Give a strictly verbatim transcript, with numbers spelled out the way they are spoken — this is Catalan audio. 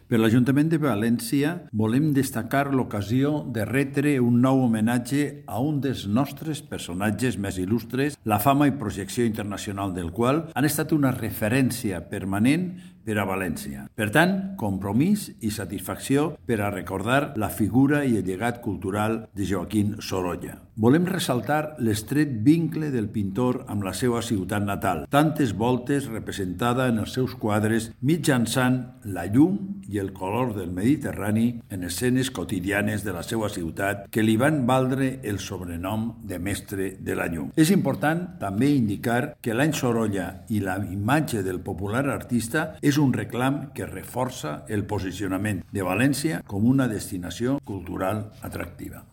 Per l'Ajuntament de València volem destacar l'ocasió de retre un nou homenatge a un dels nostres personatges més il·lustres, la fama i projecció internacional del qual han estat una referència permanent per a València. Per tant, compromís i satisfacció per a recordar la figura i el llegat cultural de Joaquín Sorolla. Volem ressaltar l'estret vincle del pintor amb la seva ciutat natal, tantes voltes representada en els seus quadres mitjançant la llum i el color del Mediterrani en escenes quotidianes de la seva ciutat que li van valdre el sobrenom de mestre de la llum. És important també indicar que l'any Sorolla i la imatge del popular artista és un reclam que reforça el posicionament de València com una destinació cultural atractiva.